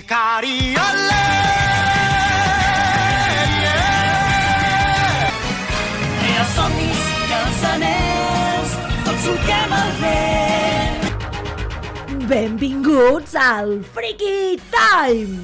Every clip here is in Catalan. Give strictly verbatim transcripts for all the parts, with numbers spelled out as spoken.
光よれsomnis cançoners, tots truquem al vent. Benvinguts al Freaky Time!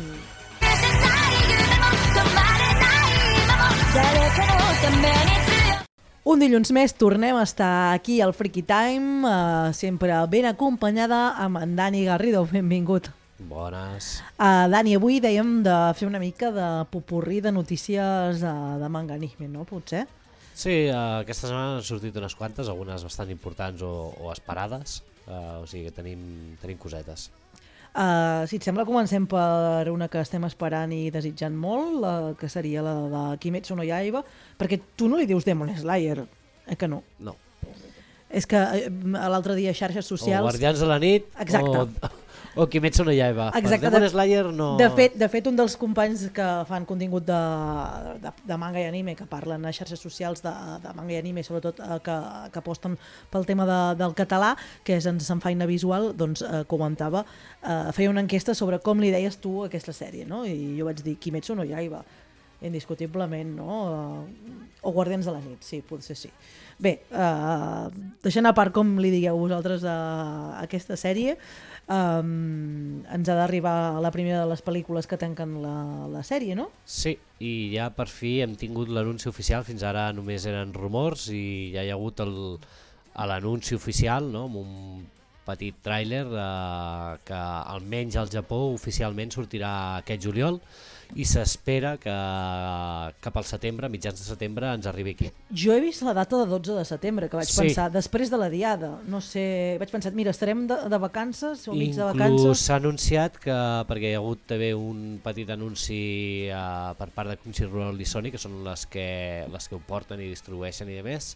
Un dilluns més tornem a estar aquí al Freaky Time, uh, sempre ben acompanyada amb en Dani Garrido. Benvingut. Bones. Uh, Dani, avui dèiem de fer una mica de popurrí de notícies uh, de manga anime, no? Potser? Sí, uh, aquesta setmana han sortit unes quantes, algunes bastant importants o, o esperades, uh, o sigui que tenim, tenim cosetes. Uh, si et sembla, comencem per una que estem esperant i desitjant molt, la, que seria la de Kimetsu no Yaiba, perquè tu no li dius Demon Slayer, eh que no? No. És que uh, l'altre dia a xarxes socials... O Guardians de la nit, exacte. o, o Kimetsu no Yaiba. Exacte. Demon Slayer no... De fet, de fet, un dels companys que fan contingut de, de, de manga i anime, que parlen a xarxes socials de, de manga i anime, sobretot eh, que, que aposten pel tema de, del català, que és en Sanfaina Visual, doncs eh, comentava, eh, feia una enquesta sobre com li deies tu a aquesta sèrie, no? I jo vaig dir Kimetsu no Yaiba, indiscutiblement, no? O Guardians de la nit, sí, potser sí. Bé, eh, deixant a part com li digueu vosaltres a, a aquesta sèrie, Um, ens ha d'arribar la primera de les pel·lícules que tanquen la, la sèrie, no? Sí, i ja per fi hem tingut l'anunci oficial, fins ara només eren rumors i ja hi ha hagut el, l'anunci oficial, no? Amb un petit tràiler eh, que almenys al Japó oficialment sortirà aquest juliol i s'espera que cap al setembre, mitjans de setembre, ens arribi aquí. Jo he vist la data de dotze de setembre, que vaig sí. pensar, després de la diada, no sé, vaig pensar, mira, estarem de, de vacances o mig de vacances? Inclús s'ha anunciat que, perquè hi ha hagut també un petit anunci uh, per part de Crunchyroll i Sony, que són les que, les que ho porten i distribueixen i demés,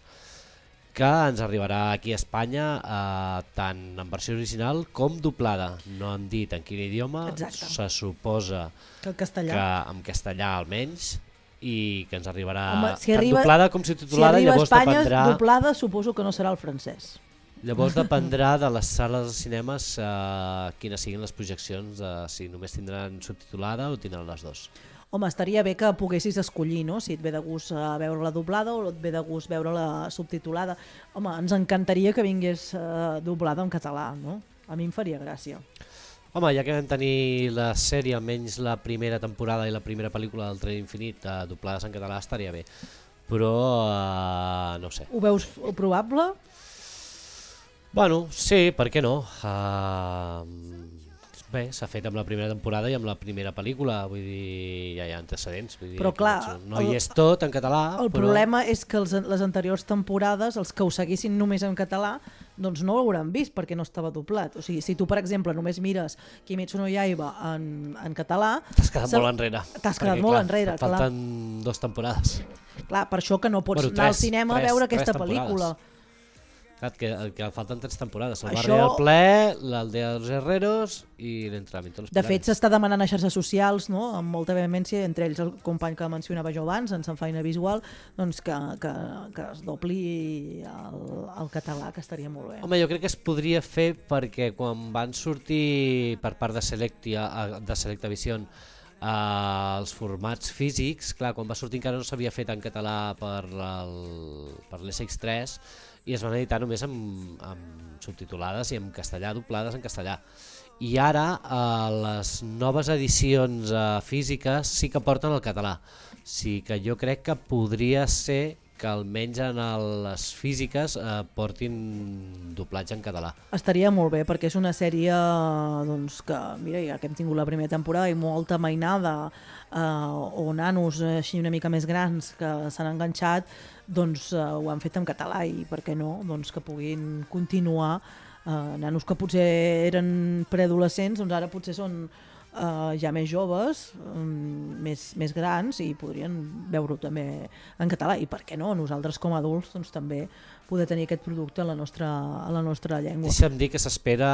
que ens arribarà aquí a Espanya eh, tant en versió original com doblada. No han dit en quin idioma. Exacte. Se suposa que, castellà. que en castellà almenys, i que ens arribarà Home, si tant arriba, doblada com subtitulada. Si arriba a llavors Espanya, dependrà, doblada suposo que no serà el francès. Llavors dependrà de les sales de cinemes eh, quines siguin les projeccions, de si només tindran subtitulada o tindran les dues. Home, estaria bé que poguessis escollir, no? Si et ve de gust veure-la doblada o et ve de gust veure-la subtitulada. Home, ens encantaria que vingués uh, doblada en català, no? A mi em faria gràcia. Home, ja que vam tenir la sèrie, almenys la primera temporada i la primera pel·lícula del Tren Infinit uh, doblades en català, estaria bé. Però, uh, no sé. Ho veus probable? Bueno, sí, per què no? Uh, Bé, s'ha fet amb la primera temporada i amb la primera pel·lícula, vull dir, ja hi ha antecedents. Vull dir, però clar, no hi és tot en català. El però... problema és que els, les anteriors temporades, els que ho seguissin només en català, doncs no ho hauran vist perquè no estava doblat. O sigui, si tu, per exemple, només mires Kimetsu no Yaiba en, en català... T'has quedat molt enrere. T'has quedat molt clar, enrere, clar. Falten dues temporades. Clar, per això que no pots bueno, tres, anar al cinema tres, a veure aquesta temporades. pel·lícula. Clar, que, que falten tres temporades, el Això... barri del ple, l'aldea dels herreros i l'entrenamiento. De fet, s'està demanant a xarxes socials, no?, amb molta vehemència, entre ells el company que mencionava jo abans, en Sanfaina Visual, doncs que, que, que es dobli el, el català, que estaria molt bé. Home, jo crec que es podria fer perquè quan van sortir per part de Selectia, de Selectavision Uh, els formats físics, clar, quan va sortir encara no s'havia fet en català per l'S X tres i es van editar només amb, amb subtitulades i en castellà, doblades en castellà. I ara uh, les noves edicions uh, físiques sí que porten el català, o sigui que jo crec que podria ser que almenys en les físiques eh, portin doblatge en català. Estaria molt bé, perquè és una sèrie doncs, que, mira, ja que hem tingut la primera temporada i molta mainada, eh, o nanos així una mica més grans que s'han enganxat, doncs eh, ho han fet en català i per què no, doncs que puguin continuar. Eh, nanos que potser eren preadolescents, doncs ara potser són Uh, ja més joves, um, més, més grans, i podrien veure-ho també en català, i per què no, nosaltres com a adults doncs, també poder tenir aquest producte a la nostra, a la nostra llengua. Deixa'm dir que s'espera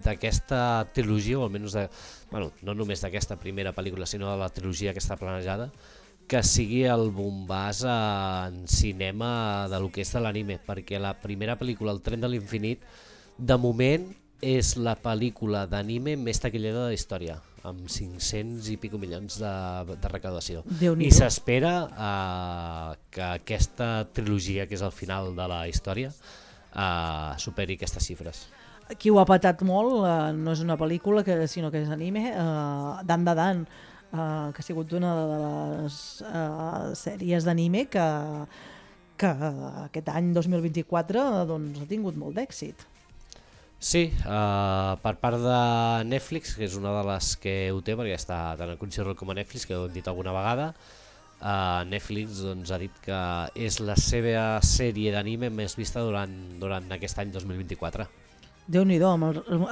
d'aquesta trilogia, o almenys de, bueno, no només d'aquesta primera pel·lícula, sinó de la trilogia que està planejada, que sigui el bombàs en cinema de lo que és de l'anime, perquè la primera pel·lícula, El tren de l'infinit, de moment és la pel·lícula d'anime més taquillera de la història. amb cinc-cents i pico milions de, de recaudació. Déu-n'hi-do. I s'espera uh, que aquesta trilogia, que és el final de la història, uh, superi aquestes xifres. Qui ho ha patat molt, uh, no és una pel·lícula, que, sinó que és anime, uh, Dan Da Dan, uh, que ha sigut una de les uh, sèries d'anime que, que aquest any dos mil vint-i-quatre doncs, ha tingut molt d'èxit. Sí, uh, per part de Netflix, que és una de les que ho té, perquè està tant a Crunchyroll com a Netflix, que ho hem dit alguna vegada, uh, Netflix doncs, ha dit que és la seva sèrie d'anime més vista durant, durant aquest any dos mil vint-i-quatre. Déu-n'hi-do,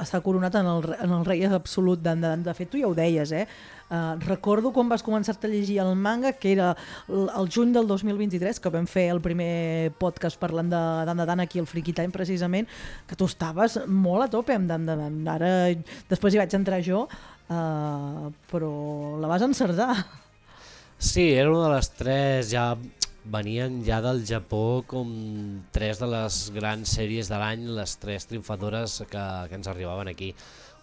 s'ha coronat en el, en el rei absolut. De, de, de fet, tu ja ho deies, eh? Uh, recordo quan vas començar-te a llegir el manga, que era el, el juny del dos mil vint-i-tres, que vam fer el primer podcast parlant de Dan Da Dan aquí al Freaky Time, precisament, que tu estaves molt a tope amb Dan Da Dan. Ara, després hi vaig entrar jo, uh, però la vas encertar. Sí, era una de les tres, ja venien ja del Japó com tres de les grans sèries de l'any, les tres triomfadores que, que ens arribaven aquí.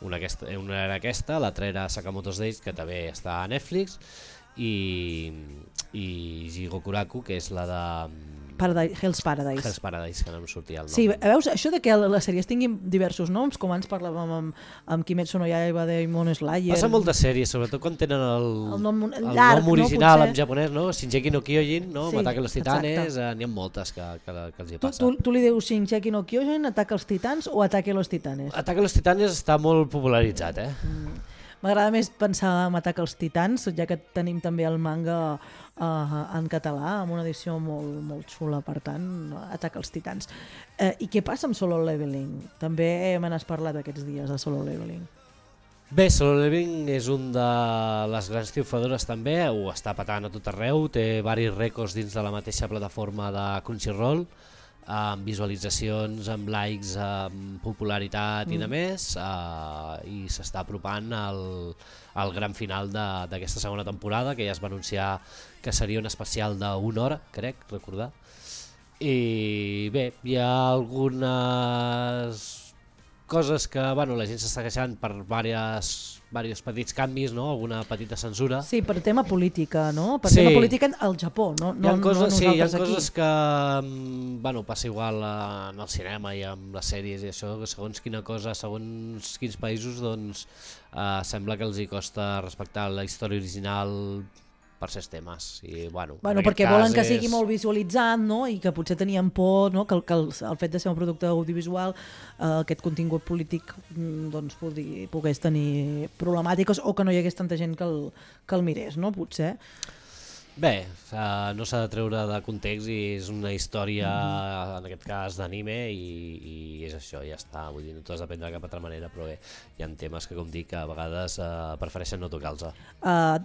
Una, aquesta, una era aquesta, l'altra era Sakamoto's Days, que també està a Netflix, i, i Jigokuraku, que és la de Paradise, Hell's Paradise. Hell's Paradise, que no em sortia el nom. Sí, veus, això de que les sèries tinguin diversos noms, com abans parlàvem amb, amb Kimetsu no Yaiba de Demon Slayer. Passa moltes sèries, sobretot quan tenen el, el nom, el llarg, nom original no, en japonès, no? Shinjeki no Kyojin, no? Sí, Ataque a los Titanes, exacte. eh, n'hi ha moltes que, que, que els hi Tu, passa. tu, tu li dius Shinjeki no Kyojin, Ataque als Titans o Ataque a los Titanes? Ataque a los Titanes està molt popularitzat, eh? Mm. M'agrada més pensar en Ataque als Titans, ja que tenim també el manga uh, en català, amb una edició molt, molt xula, per tant, Ataque als Titans. Uh, I què passa amb Solo Leveling? També me n'has parlat aquests dies de Solo Leveling. Bé, Solo Leveling és un de les grans triomfadores també, ho està patant a tot arreu, té varis rècords dins de la mateixa plataforma de Crunchyroll, amb visualitzacions, amb likes, amb popularitat mm. i de més, uh, i s'està apropant al, al gran final d'aquesta segona temporada, que ja es va anunciar que seria un especial d'una hora, crec, recordar. I bé, hi ha algunes coses que bueno, la gent s'està queixant per diversos, diversos petits canvis, no? Alguna petita censura. Sí, per tema política, no? Per sí. tema política al Japó, no, no, hi ha coses, no sí, hi ha nosaltres coses aquí. que bueno, passa igual en el cinema i amb les sèries i això, que segons quina cosa, segons quins països, doncs eh, sembla que els hi costa respectar la història original per certs temes. I, bueno, Bueno, perquè volen que sigui molt visualitzat, no? I que potser tenien por, no? que, el, que el, el fet de ser un producte audiovisual, eh, aquest contingut polític doncs, podri, pogués tenir problemàtiques o que no hi hagués tanta gent que el, que el mirés, no? Potser. Bé, uh, no s'ha de treure de context i és una història, mm-hmm. en aquest cas d'anime, i, i és això, ja està. Vull dir, no t'ho has d'aprendre de cap altra manera, però bé, hi ha temes que, com dic, a vegades uh, prefereixen no tocar-los. Uh,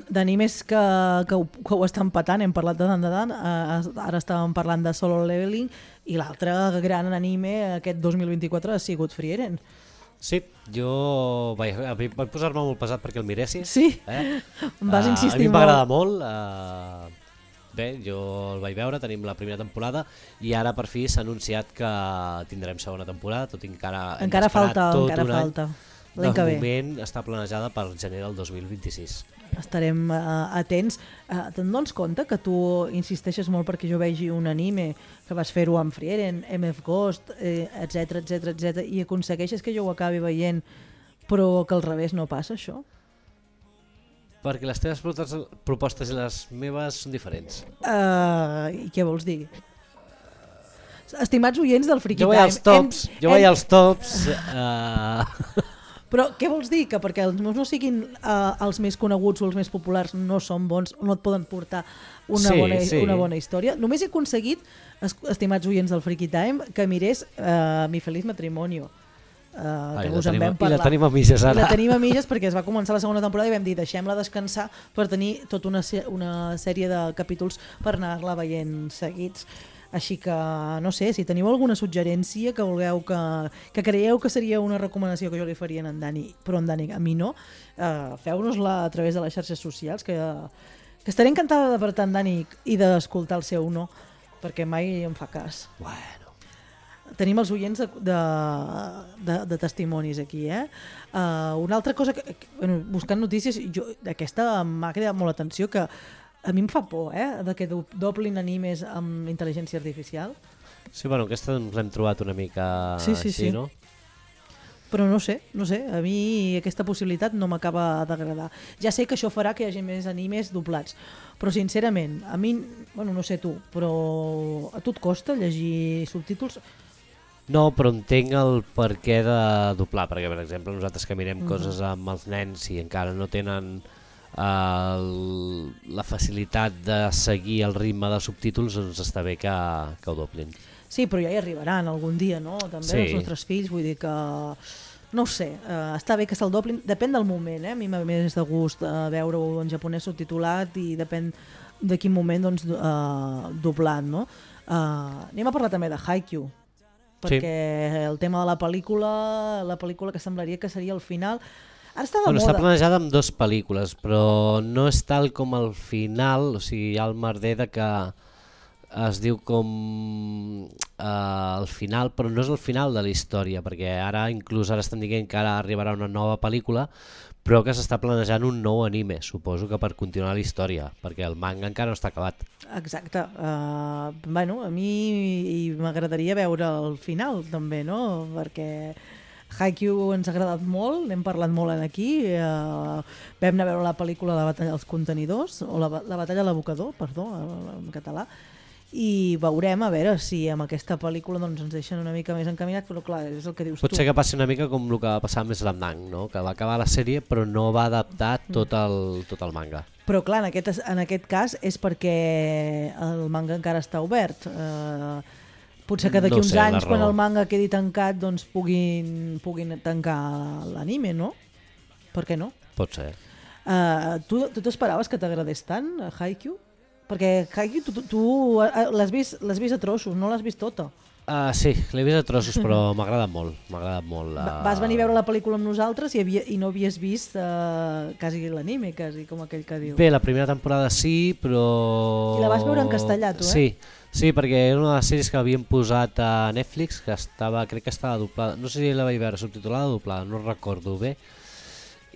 D'animes que, que, ho, que ho estan patant, hem parlat de Dan Da Dan, uh, ara estàvem parlant de Solo Leveling, i l'altre gran anime aquest dos mil vint-i-quatre ha sigut Frieren. Sí, jo vaig, vaig posar-me molt pesat perquè el miressis. Sí, eh? em vas uh, insistir molt. A mi m'agrada molt. Uh, bé, jo el vaig veure, tenim la primera temporada i ara per fi s'ha anunciat que tindrem segona temporada, tot i encara hem encara falta, tot encara un any. falta. De moment està planejada per gener del dos mil vint-i-sis. Estarem uh, atents. Uh, Te'n dones compte que tu insisteixes molt perquè jo vegi un anime, que vas fer-ho amb Frieren, M F Ghost, eh, etc etc etc i aconsegueixes que jo ho acabi veient, però que al revés no passa això? Perquè les teves propostes i les meves són diferents. Uh, I què vols dir? Estimats oients del Freaky jo Time... Jo vaig als tops, hem, jo vaig hem... als tops... Uh... Però què vols dir? Que perquè els meus no siguin uh, els més coneguts o els més populars no són bons, no et poden portar una, sí, bona, sí. una bona història. Només he aconseguit, estimats oients del Freaky Time, que mirés uh, Mi Feliz Matrimonio. Uh, Ai, que us en tenim, vam parlar. I la tenim a mitges ara. I la tenim a mitges perquè es va començar la segona temporada i vam dir deixem-la descansar per tenir tota una, una sèrie de capítols per anar-la veient seguits. Així que, no sé, si teniu alguna suggerència que vulgueu que, que creieu que seria una recomanació que jo li faria a en Dani, però en Dani a mi no, uh, feu-nos-la a través de les xarxes socials, que, que estaré encantada d'apartar en Dani i d'escoltar el seu no, perquè mai em fa cas. Bueno. tenim els oients de, de, de, de testimonis aquí, eh? Uh, una altra cosa, que, que bueno, buscant notícies, jo, aquesta m'ha cridat molt l'atenció, que a mi em fa por, eh? De que do, doblin animes amb intel·ligència artificial. Sí, bueno, aquesta ens l'hem trobat una mica sí, sí, així, sí. no? Però no sé, no sé, a mi aquesta possibilitat no m'acaba d'agradar. Ja sé que això farà que hi hagi més animes doblats, però sincerament, a mi, bueno, no sé tu, però a tu et costa llegir subtítols? No, però entenc el per què de doblar, perquè per exemple nosaltres que mirem Mhm. coses amb els nens i encara no tenen el, la facilitat de seguir el ritme de subtítols, doncs està bé que, que ho doblin. Sí, però ja hi arribaran algun dia, no? També Sí. els nostres fills, vull dir que... No ho sé, eh, està bé que se'l doblin, depèn del moment, eh? A mi m'ha més de gust eh, veure-ho en japonès subtitulat i depèn de quin moment doncs, eh, doblat, no? Eh, anem a parlar també de Haikyuu, perquè sí. el tema de la pel·lícula, la pel·lícula que semblaria que seria el final, ara està de Bueno, moda. està planejada amb dues pel·lícules, però no és tal com el final, o sigui, hi ha el merder de que es diu com eh, el final, però no és el final de la història, perquè ara inclús ara estan dient que ara arribarà una nova pel·lícula, però que s'està planejant un nou anime, suposo que per continuar la història, perquè el manga encara no està acabat. Exacte. Uh, bueno, a mi m'agradaria veure el final també, no? Perquè Haikyuu ens ha agradat molt, n'hem parlat molt aquí, uh, vam anar a veure la pel·lícula La batalla dels contenidors, o la, la batalla de l'abocador, perdó, en català, i veurem a veure si amb aquesta pel·lícula doncs, ens deixen una mica més encaminats, però clar, és el que dius Pot tu. ser que passi una mica com el que va passar amb Slam Dunk, no? Que va acabar la sèrie però no va adaptar tot el, tot el manga. Però clar, en aquest, en aquest cas és perquè el manga encara està obert. Uh, potser que d'aquí No uns sé, la anys, quan raó. el manga quedi tancat, doncs puguin, puguin tancar l'anime, no? Per què no? Pot ser. Uh, tu tu t'esperaves que t'agradés tant, uh, Haikyuu? Perquè Haikyuu tu, tu, tu uh, l'has vist, l'has vist a trossos, no l'has vist tota. Uh, sí, l'he vist a trossos, però m'ha agradat molt. M'ha agradat molt. Uh... Va- Vas venir a veure la pel·lícula amb nosaltres i, havia, i no havies vist uh, quasi l'anime, quasi, com aquell que diu. Bé, la primera temporada sí, però... I la vas veure en castellà, tu, eh? Sí, sí, perquè era una de les sèries que havien posat a Netflix, que estava, crec que estava doblada, no sé si la vaig veure subtitulada o doblada, no recordo bé.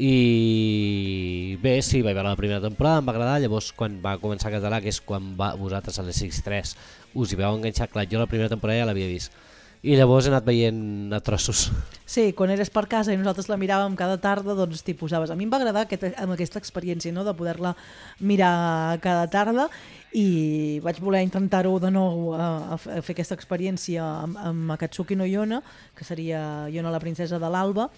I bé, sí, vaig veure la primera temporada, em va agradar, llavors quan va començar a català, que és quan va, vosaltres a les X tres us hi vau enganxar, clar, jo la primera temporada ja l'havia vist. I llavors he anat veient a trossos. Sí, quan eres per casa i nosaltres la miràvem cada tarda, doncs t'hi posaves. A mi em va agradar aquest, amb aquesta experiència, no?, de poder-la mirar cada tarda, i vaig voler intentar-ho de nou a, a fer aquesta experiència amb, amb Akatsuki no Yona, que seria Yona la princesa de l'Alba,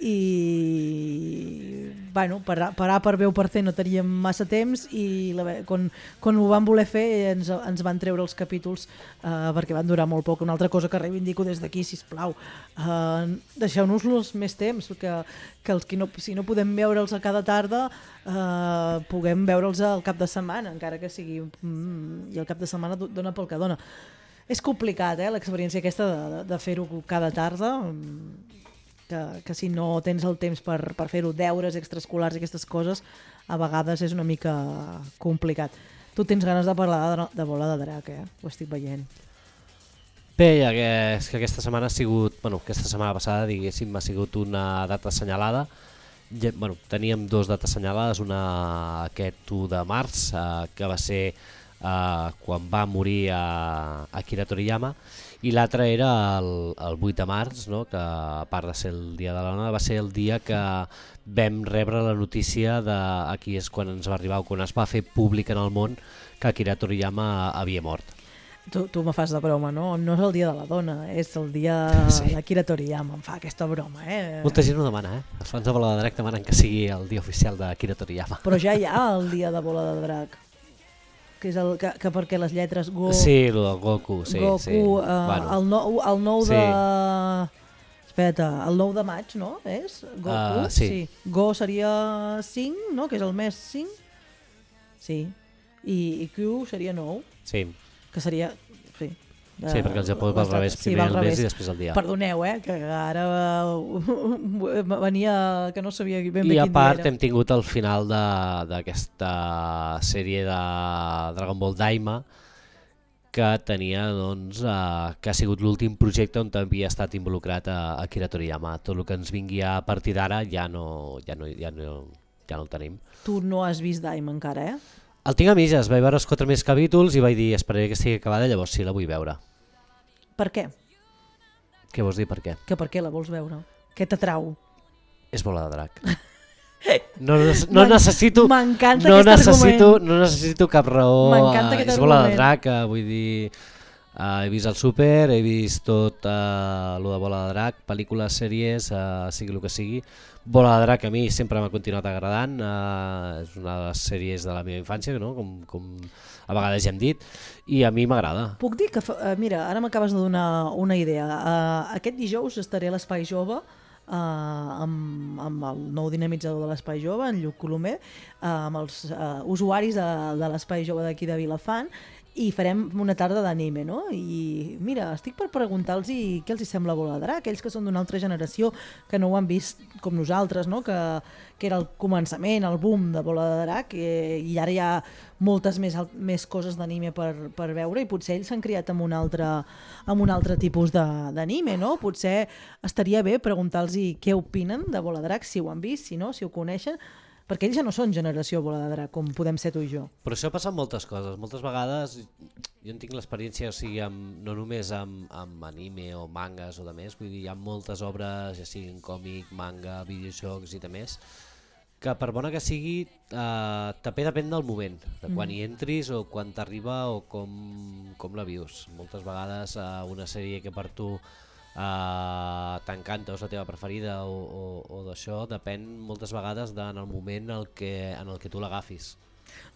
i bueno, parar, parar per veu per fer no teníem massa temps, i la, quan, quan ho van voler fer ens, ens van treure els capítols eh, perquè van durar molt poc. Una altra cosa que reivindico des d'aquí, sisplau, eh, deixeu-nos-los més temps, que, que els que no, si no podem veure'ls a cada tarda, eh, puguem veure'ls al cap de setmana, encara que sigui mm, i el cap de setmana dona pel que dona. És complicat, eh, l'experiència aquesta de, de fer-ho cada tarda, que, que si no tens el temps per, per fer-ho, deures extraescolars i aquestes coses, a vegades és una mica complicat. Tu tens ganes de parlar de, de Bola de Drac, eh? Ho estic veient. Bé, ja que, és que aquesta setmana ha sigut, bueno, aquesta setmana passada, diguéssim, ha sigut una data assenyalada. Ja, bueno, teníem dues dates assenyalades, una aquest u de març, eh, que va ser eh, quan va morir a Akira Toriyama, i l'altre era el, el vuit de març, no? Que a part de ser el dia de la dona, va ser el dia que vam rebre la notícia de, aquí és quan ens va arribar, quan es va fer públic en el món, que Akira Toriyama havia mort. Tu, tu me fas de broma, no? No és el dia de la dona, és el dia Sí. d'Akira Toriyama, em fa aquesta broma, eh? Molta gent ho demana, eh? Els fans de Bola de Drac demanen que sigui el dia oficial d'Akira Toriyama. Però ja hi ha el dia de Bola de Drac, que és el que, que perquè les lletres Go, Sí, el del Goku, sí. Goku, sí. eh, Bueno, el, nou, el nou Sí. de... Espera, el nou de maig, no? És? Goku? Ah, sí. Go seria cinc, no? Que és el mes cinc? Sí. I, i Q seria nou, sí. que seria... Sí, Sí, perquè el Japó va al revés, sí, primer va al el mes revés. i després el dia. Perdoneu, eh, que ara uh, venia que no sabia ben bé I a quin part dia era. hem tingut el final de- d'aquesta sèrie de Dragon Ball Daima, que tenia, doncs, uh, que ha sigut l'últim projecte on havia estat involucrat a Akira Toriyama. Tot el que ens vingui a partir d'ara ja no, ja, no, ja, no, ja no el tenim. Tu no has vist Daima encara, eh? El tinc a mitges, vaig veure els quatre més capítols i vaig dir esperaré que estigui acabada, llavors sí la vull veure. Per què? Què vols dir per què? Que per què la vols veure? Què t'atrau? És bola de drac. No, no necessito M'encanta no aquest necessito, argument. no necessito cap raó. M'encanta uh, aquest és bola de argument. drac, uh, vull dir, uh, he vist el súper, he vist tot uh, lo de bola de drac, pel·lícules, sèries, uh, sigui el que sigui. Bola de drac a mi sempre m'ha continuat agradant, uh, és una de les sèries de la meva infància, no? com, com a vegades ja hem dit, i a mi m'agrada. Puc dir que, fa- eh, mira, ara m'acabes de donar una idea. Uh, aquest dijous estaré a l'Espai Jove uh, amb, amb el nou dinamitzador de l'Espai Jove, en Lluc Colomer, uh, amb els uh, usuaris de, de l'Espai Jove d'aquí de Vilafant, i farem una tarda d'anime, no? I mira, estic per preguntar-los què els hi sembla Bola de Drac, aquells que són d'una altra generació, que no ho han vist com nosaltres, no? que, que era el començament, el boom de Bola de Drac, i, i ara hi ha moltes més, al- més coses d'anime per, per veure, i potser ells s'han criat amb un altre, amb un altre tipus de- d'anime, no? Potser estaria bé preguntar-los què opinen de Bola de Drac, si ho han vist, si no, si ho coneixen, perquè ells ja no són generació Bola de Drac, com podem ser tu i jo. Però això passa amb moltes coses. Moltes vegades jo en tinc l'experiència, o sigui, amb, no només amb, amb anime o mangas o de més, vull dir, hi ha moltes obres, ja siguin còmic, manga, videojocs i de més, que per bona que sigui, eh, també depèn del moment, de quan Mm. hi entris o quan t'arriba o com, com la vius. Moltes vegades eh, una sèrie que per tu Uh, t'encanta o és la teva preferida o, o, o d'això depèn moltes vegades de, en el moment en el que, en el que tu l'agafis.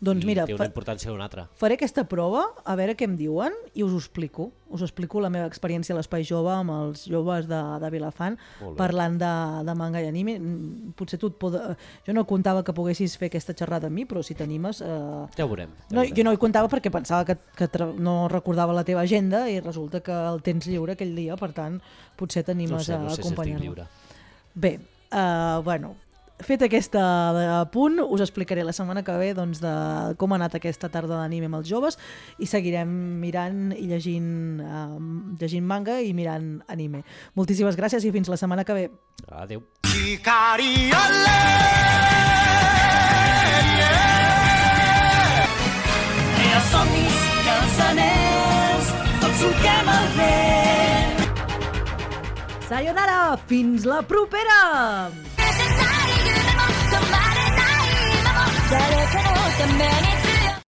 Doncs I mira, té fa- una importància o una altra. faré aquesta prova, a veure què em diuen, i us ho explico. Us explico la meva experiència a l'Espai Jove amb els joves de, de Vilafant, Molt bé. parlant de, de manga i anime. Mm, Potser tu et pod... Jo no comptava que poguessis fer aquesta xerrada amb mi, però si t'animes... Eh... Ja ho veurem. Ja No, ho veurem. jo no hi comptava perquè pensava que, que tra... no recordava la teva agenda i resulta que el tens lliure aquell dia, per tant, potser no t'animes sé, a no sé si estic acompanyar-me. lliure. Bé, uh, bueno, fet aquesta punt, us explicaré la setmana que ve doncs, de com ha anat aquesta tarda d'anime amb els joves i seguirem mirant i llegint, uh, llegint manga i mirant anime. Moltíssimes gràcies i fins la setmana que ve. Adéu. Hikari ole Crea somnis i els anells tots solquem el vent. Sayonara! Fins la propera! 止まれない今も誰かのために